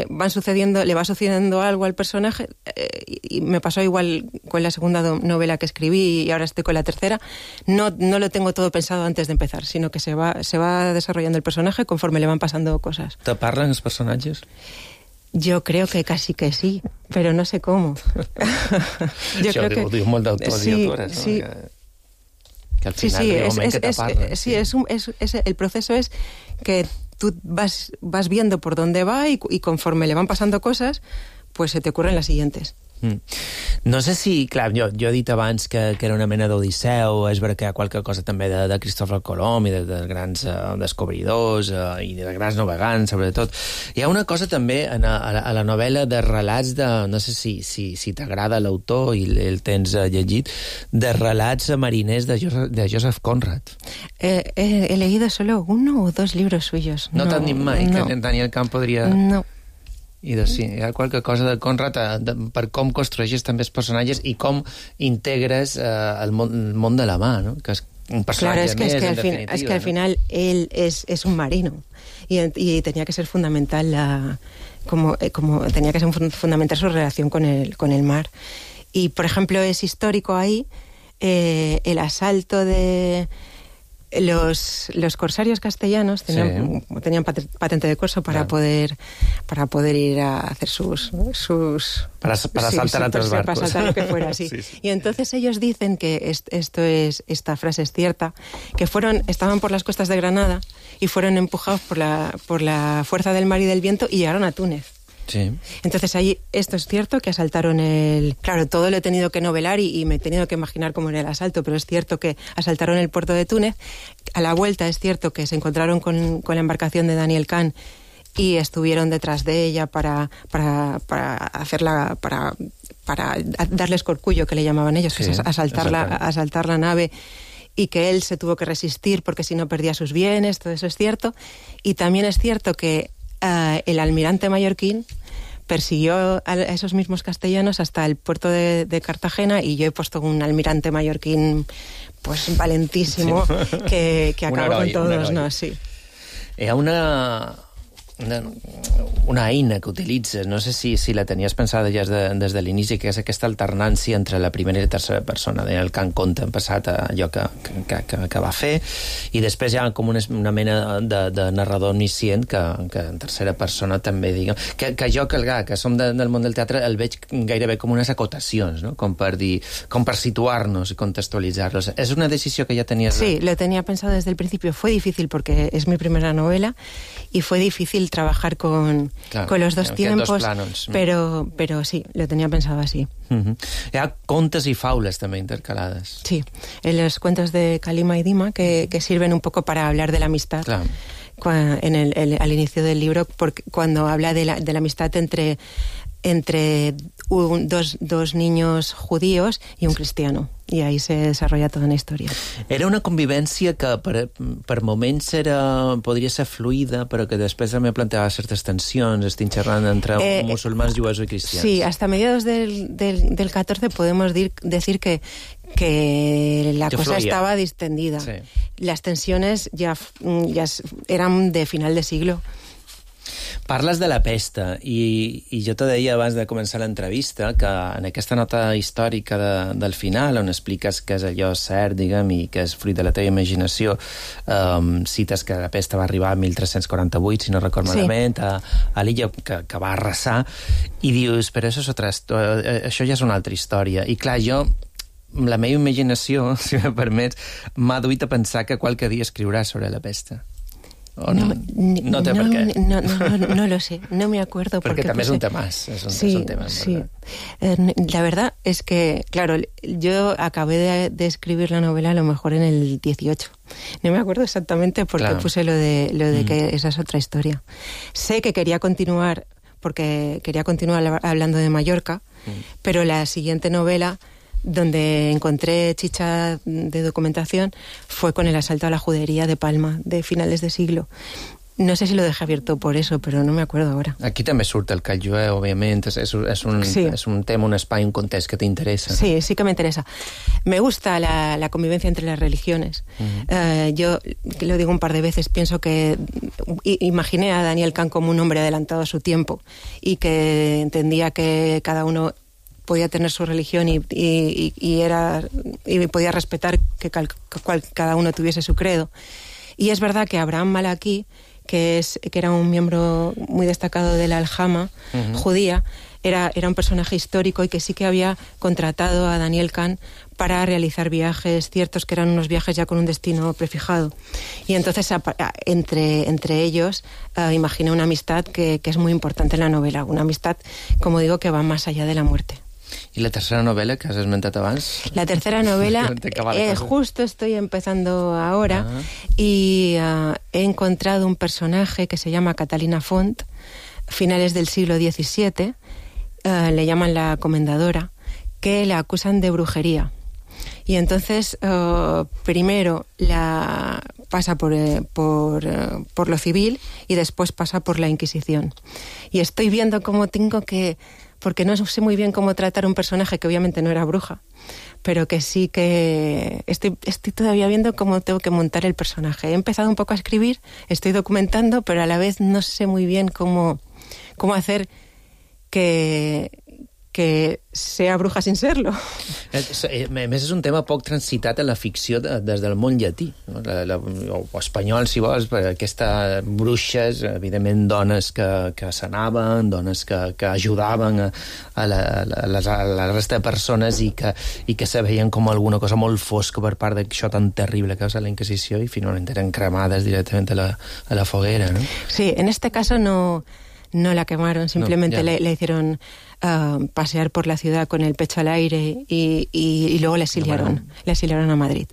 van sucediendo, le va sucediendo algo al personaje, y me pasó igual con la segunda novela que escribí y ahora estoy con la tercera. No lo tengo todo pensado antes de empezar, sino que se va desarrollando el personaje conforme le van pasando cosas. ¿Te parlen los personajes? Yo creo que casi que sí, pero no sé cómo. Yo creo que... Ho diu molt d'autors i autores, no? Sí. Que al final el proceso es que tú vas viendo por dónde va y conforme le van pasando cosas, pues se te ocurren las siguientes. No sé si, clar, jo he dit abans que era una mena d'Odisseu, és veritat que hi ha qualque cosa també de Cristòfor Colom i de grans descobridors i de grans navegants, sobretot. Hi ha una cosa també a la novel·la de relats de, no sé si t'agrada l'autor i el tens llegit, de relats mariners de Joseph Conrad. He leído solo 1 o 2 libros suyos. No t'han dit mai que Daniel Kahn podria... No. I sí, hi ha qualque cosa de Conrad per com construeixes també els personatges i com integres el món de la mà, no? Que és un personatge més, en definitiva. Es que al final él es un marino y tenía que ser fundamental tenía que ser fundamental su relación con el mar. Y, por ejemplo, es histórico ahí el asalto de... Los corsarios castellanos tenían patente de corso para poder ir a hacer sus para saltar a otros barcos. Para saltar lo que fuera, sí. Y entonces ellos dicen que esta frase es cierta, que estaban por las costas de Granada y fueron empujados por la fuerza del mar y del viento y llegaron a Túnez. Sí. Entonces ahí esto es cierto que asaltaron claro, todo lo he tenido que novelar y me he tenido que imaginar cómo era el asalto, pero es cierto que asaltaron el puerto de Túnez. A la vuelta es cierto que se encontraron con la embarcación de Daniel Kahn y estuvieron detrás de ella para hacerla, para darles corcullo, que le llamaban ellos, que es asaltar la nave, y que él se tuvo que resistir porque si no perdía sus bienes. Todo eso es cierto. Y también es cierto que el almirante mallorquín persiguió a esos mismos castellanos hasta el puerto de Cartagena, y yo he puesto un almirante mallorquín pues valentísimo que acabó con todos, ¿no? Sí. Hi ha una eina que utilitzes, no sé si la tenies pensada ja des de l'inici, que és aquesta alternància entre la primera i la tercera persona. Daniel Kahn conta en passat allò que va fer, i després hi ha com una mena de narrador omniscient que en tercera persona també, diguem, que jo, que som del món del teatre, el veig gairebé com unes acotacions, no? Com per situar-nos i contextualitzar-los. És una decisió que ja tenies... Sí, lo tenía pensado desde el principio. Fue difícil porque es mi primera novela y fue difícil trabajar con los dos tiempos, pero sí, lo tenía pensado así. Hi ha contes i faules també intercalades. Sí, en los cuentos de Kalima y Dima que sirven un poco para hablar de la amistad. Claro. Al inicio del libro, cuando habla de la amistad entre dos niños judíos y un cristiano, i ahí se desarrolla tota una història. Era una convivència que per moments podria ser fluida, però que després també plantejava certes tensions, estic xerrant entre musulmans, jueus i cristians. Sí, hasta mediados del 14 podemos decir que la cosa estaba distendida. Sí. Las tensiones ya eran de final de siglo. Parles de la pesta, i jo te deia abans de començar l'entrevista que en aquesta nota històrica del final, on expliques que és allò cert, diguem, i que és fruit de la teva imaginació, cites que la pesta va arribar a 1348, si no record malament, a l'illa que va arrasar, i dius, però això ja és una altra història. I clar, jo, la meva imaginació, si me permets, m'ha duit a pensar que qualque dia escriuràs sobre la pesta. No té per què. No lo sé, no me acuerdo. Porque también es un tema. Es un tema, sí. La verdad es que, claro, yo acabé de escribir la novela a lo mejor en el 18. No me acuerdo exactamente porque puse lo de que esa es otra historia. Sé que quería continuar, porque quería continuar hablando de Mallorca, pero la siguiente novela donde encontré chicha de documentación fue con el asalto a la judería de Palma, de finales de siglo. No sé si lo dejé abierto por eso, pero no me acuerdo ahora. Aquí també surt el call jueu, òbviament. És un tema, un espai, un context que t'interessa. Sí, sí que me interesa. Me gusta la convivencia entre las religiones. Yo, que lo digo un par de veces, pienso que imaginé a Daniel Kahn como un hombre adelantado a su tiempo y que entendía que cada uno podía tener su religión y podía respetar que cada uno tuviese su credo. Y es verdad que Abraham Malaki, que era un miembro muy destacado de la Aljama judía, era un personaje histórico y que sí que había contratado a Daniel Kahn para realizar viajes ciertos, que eran unos viajes ya con un destino prefijado. Y entonces, entre ellos, imaginé una amistad que es muy importante en la novela, una amistad, como digo, que va más allá de la muerte. ¿Y la tercera novela que has esmentat abans? La tercera novela, justo estoy empezando ahora y he encontrado un personaje que se llama Catalina Font, finales del siglo XVII, le llaman la comendadora, que la acusan de brujería. Y entonces, primero la pasa por lo civil y después pasa por la Inquisición. Y estoy viendo cómo tengo que... porque no sé muy bien cómo tratar un personaje que obviamente no era bruja, pero que sí que estoy todavía viendo cómo tengo que montar el personaje. He empezado un poco a escribir, estoy documentando, pero a la vez no sé muy bien cómo hacer que sea bruja sin serlo. A més, és un tema poc transitat en la ficció des del món llatí, no? O espanyol, si vols, per aquestes bruixes, evidentment dones que sanaven, dones que ajudaven a la resta de persones i que se veien com alguna cosa molt fosca per part d'això tan terrible que va ser la Inquisició i finalment eren cremades directament a la foguera, ¿no? Sí, en este caso no la quemaron, simplemente le hicieron pasear por la ciudad con el pecho al aire y luego la exiliaron a Madrid.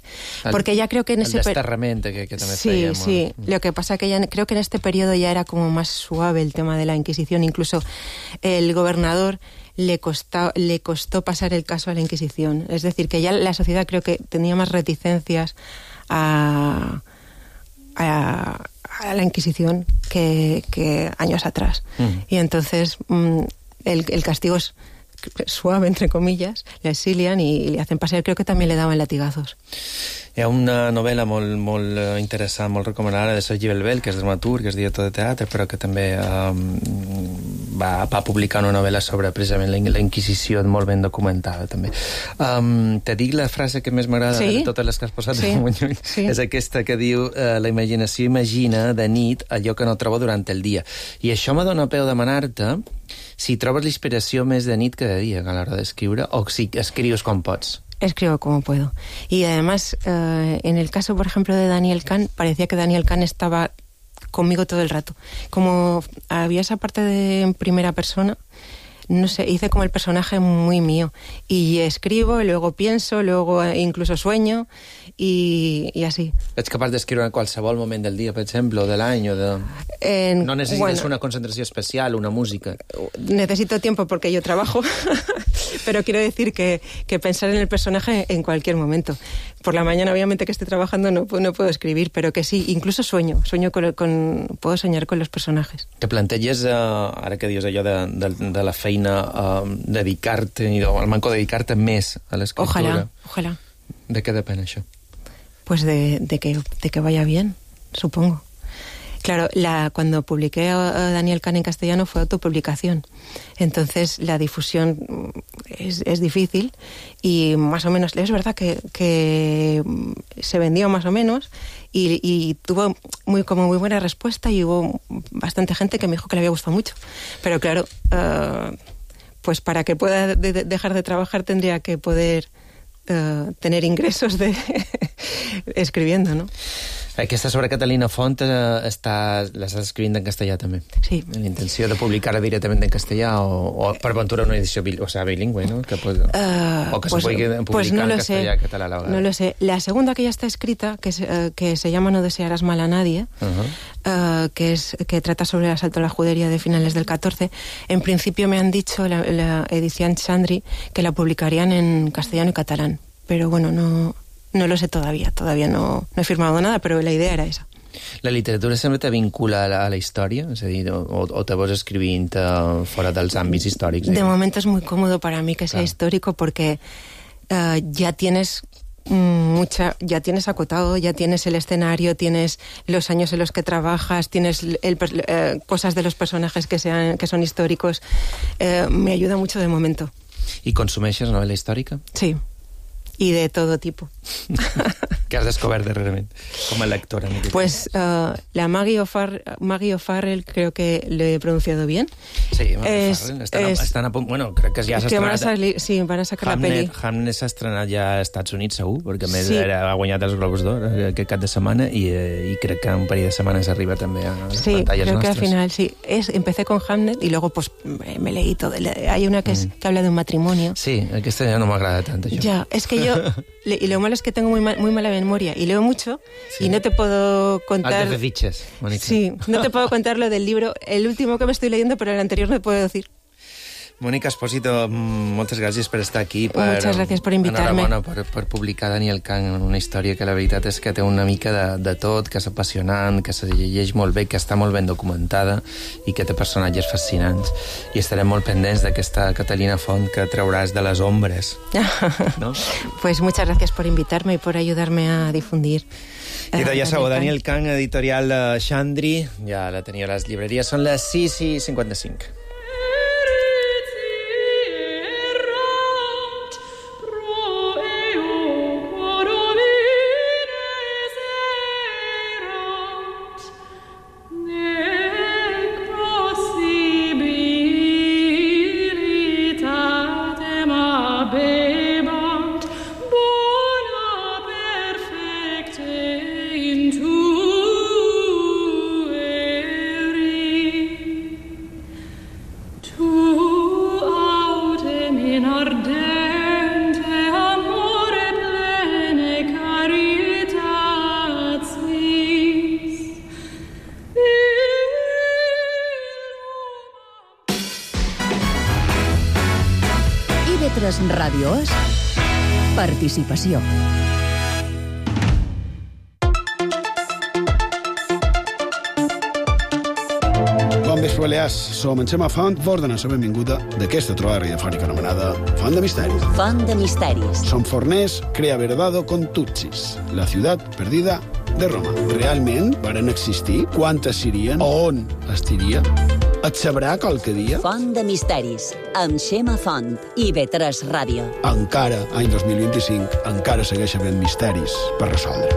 Porque ya creo que en ese desterrament que també feia molt. Sí, lo que pasa que ya creo que en este periodo ya era como más suave el tema de la Inquisición, incluso el gobernador le costó pasar el caso a la Inquisición, es decir, que ya la sociedad creo que tenía más reticencias a la Inquisición que años atrás. Y entonces el castigo es suave, entre comillas, le exilian y le hacen pasear, creo que también le daban latigazos. Hi ha una novel·la molt interessant, molt recomanada, de Sergi Belbel, que és dramaturg, que és director de teatre, però que també va publicar una novel·la sobre precisament la Inquisició, molt ben documentada, també. Te dic la frase que més m'agrada de totes les que has posat de Muñoz. És aquesta que diu: la imaginació imagina de nit allò que no trobo durant el dia. I això me dona peu demanar-te si trobes l'inspiració més de nit que de dia a l'hora d'escriure, o si escrius quan pots. Escribo como puedo. Y además, en el caso, por ejemplo, de Daniel Kahn, parecía que Daniel Kahn estaba conmigo todo el rato. Como había esa parte de en primera persona, no sé, hice como el personaje muy mío. Y escribo, y luego pienso, luego incluso sueño, y así. Ets capaç d'escriure en qualsevol moment del dia, per exemple, o de l'any, o de... No necesites una concentració especial, una música. Necesito tiempo porque yo trabajo, pero quiero decir que pensar en el personaje en cualquier momento. Por la mañana, obviamente, que esté trabajando no puedo escribir, pero que sí, incluso sueño puedo soñar con los personajes. Te planteges, ara que dius allò de la feina, dedicar-te, al manco dedicar-te més a l'escriptura. Ojalá. ¿De qué depende això? Pues de que vaya bien, supongo. Claro, cuando publiqué a Daniel Kahn en castellano fue autopublicación. Entonces la difusión es difícil y más o menos, es verdad que se vendió más o menos y tuvo muy buena respuesta y hubo bastante gente que me dijo que le había gustado mucho. Pero claro, pues para que pueda dejar de trabajar tendría que poder tener ingresos escribiendo, ¿no? Aquesta sobre Catalina Font l'estàs escrivint en castellà, també. Sí. La intenció de publicar-la directament en castellà o per ventura una edició bilingüe, ¿no? Que o que se puede publicar en castellà y català a la vegada. No lo sé. La segunda que ya está escrita, que se llama No desearás mal a nadie, que trata sobre el asalto a la judería de finales del 14, en principio me han dicho la edición Chandri que la publicarían en castellano y catalán. Pero bueno, no lo sé todavía no he firmado nada, pero la idea era esa. La literatura sempre te vincula a la història? És a dir, o te vas escrivint fora dels àmbits històrics? De momento es muy cómodo para mí que sea histórico porque ya tienes acotado, ya tienes el escenario, tienes los años en los que trabajas, tienes cosas de los personajes que son históricos. Me ayuda mucho de momento. I consumeixes novela històrica? Sí. Y de todo tipo. ¿Qué has descubierto darrerament como lectora? Pues la Maggie O'Farrell, creo que lo he pronunciado bien. Sí, están a punto. Bueno, creo que ja s'ha estrenat. Sí, van a sacar la peli. Hamnet s'ha estrenat ja als Estats Units, segur, perquè a més ha guanyat els Globus d'Or aquest cap de setmana i crec que un parell de setmanes arriba també a les pantalles nostres. Sí, creo que al final sí. Empecé con Hamnet y luego pues me leí todo. Hay una que habla de un matrimonio. Sí, aquesta ja no m'agrada tant, això. Ya, es que yo... Y lo malo es que tengo muy mala memoria y leo mucho y no te puedo contar... Altes fitxes, Mónica. Sí, no te puedo contar lo del libro, el último que me estoy leyendo, pero el anterior no te puedo decir. Mónica Espósito, moltes gràcies per estar aquí. Muchas gracias por invitarme. Enhorabona per publicar Daniel Kang en una història que la veritat és que té una mica de tot, que és apassionant, que se llegeix molt bé, que està molt ben documentada i que té personatges fascinants. I estarem molt pendents d'aquesta Catalina Font que trauràs de les ombres. ¿No? Pues muchas gracias por invitarme y por ayudarme a difundir. I ja sabeu, Daniel Kang, editorial Chandri, ja la teniu a les llibreries, són les 6:55. Ràdios, participació. Bon vespre, Balears. Som en Xema Font, vos donem la benvinguda d'aquesta trobada radiofònica anomenada Font de Misteris. Font de Misteris. Som forners, crea verdado con Tutsis, la ciutat perdida de Roma. Realment varen existir? Quantes serien? On estiria? Et sabrà qualque dia? Font de Misteris, amb Xema Font i B3 Ràdio. Encara, any 2025, encara segueix havent misteris per resoldre.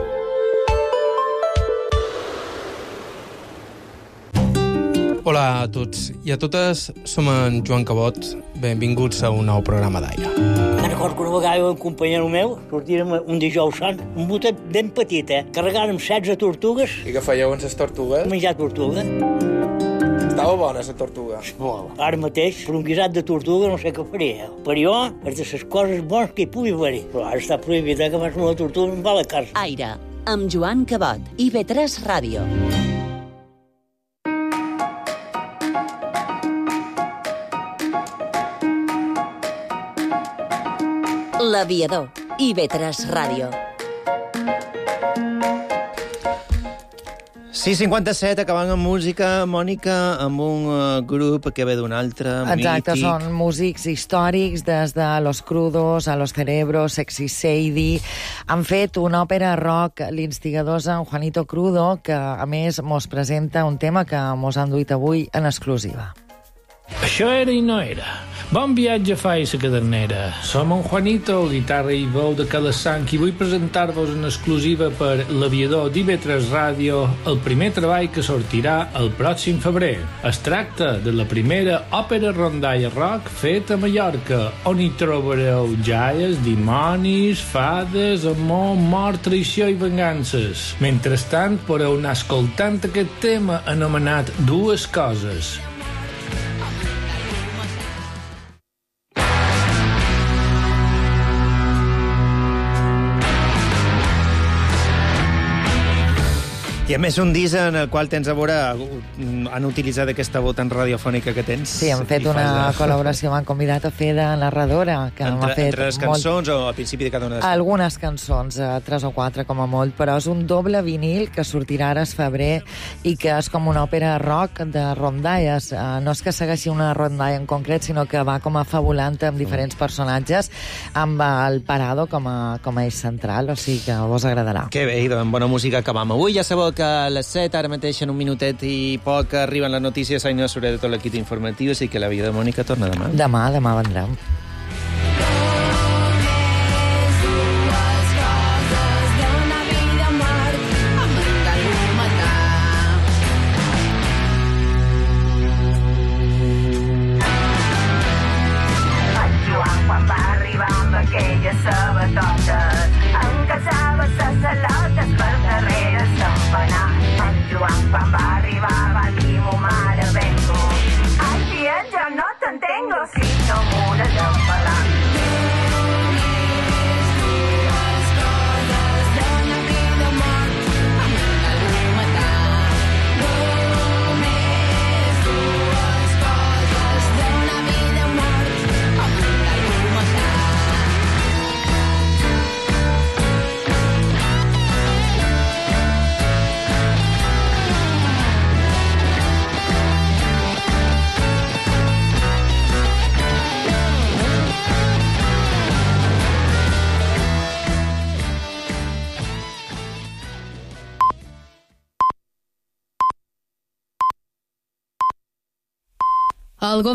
Hola a tots i a totes, som en Joan Cabot. Benvinguts a un nou programa d'Aire. Me'n recordo que una vegada un companyero meu sortirem un dijous sant, un botet ben petit, carregant amb 16 tortugues. I què fèieu amb les tortugues? Menjar tortuga. Estava bona, la tortuga. Molt. Ara mateix, per un guisat de tortuga no sé què faria. Per jo, és de les coses bones que hi pugui haver. Però ara està prohibit que fas una tortuga amb la carn. Aire, amb Joan Cabot i B3 Ràdio. L'Aviador i B3 Ràdio. 6:57, acabant amb música, Mònica, amb un grup que ve d'un altre, Exacte, mític. Són músics històrics, des de Los Crudos a Los Cerebros, Sexy Sadie. Han fet una òpera rock, l'instigador és en Juanito Crudo, que a més mos presenta un tema que mos han duit avui en exclusiva. Això era i no era. Bon viatge a la cadernera. Som en Juanito, guitarra i veu de Calassanc, i vull presentar-vos en exclusiva per l'Aviador d'IV3 Ràdio el primer treball que sortirà el pròxim febrer. Es tracta de la primera òpera rondalla rock feta a Mallorca, on hi trobareu jaies, dimonis, fades, amor, mort, traïció i vengances. Mentrestant, podeu anar escoltant aquest tema anomenat Dues Coses. I a més un disc en el qual tens a veure, han utilitzat aquesta veu tan radiofònica que tens. Sí, hem fet una col·laboració, m'han convidat a fer de narradora. Que entre les cançons o al principi de cada una de les cançons? Algunes cançons, 3 o 4 com a molt, però és un doble vinil que sortirà ara a febrer i que és com una òpera rock de rondalles. No és que segueixi una rondalla en concret, sinó que va com a fabulant amb diferents personatges, amb el Parado com a eix central, o sigui que vos agradarà. Que bé, amb bona música acabam avui. Ja sabeu que a les 7, ara mateix en un minutet i poc, arriben les notícies. Aina Soler de tot l'equip informatiu, així que la vida de Mònica torna demà. Demà vendrem. Quan va arribar amb aquelles sabatotes, encaçava ses salotes per darrere s'empenar. En Joan quan va arribar va dir mo mare vengo. Ai tia, jo no t'entengo si no m'has d'empelar. El govern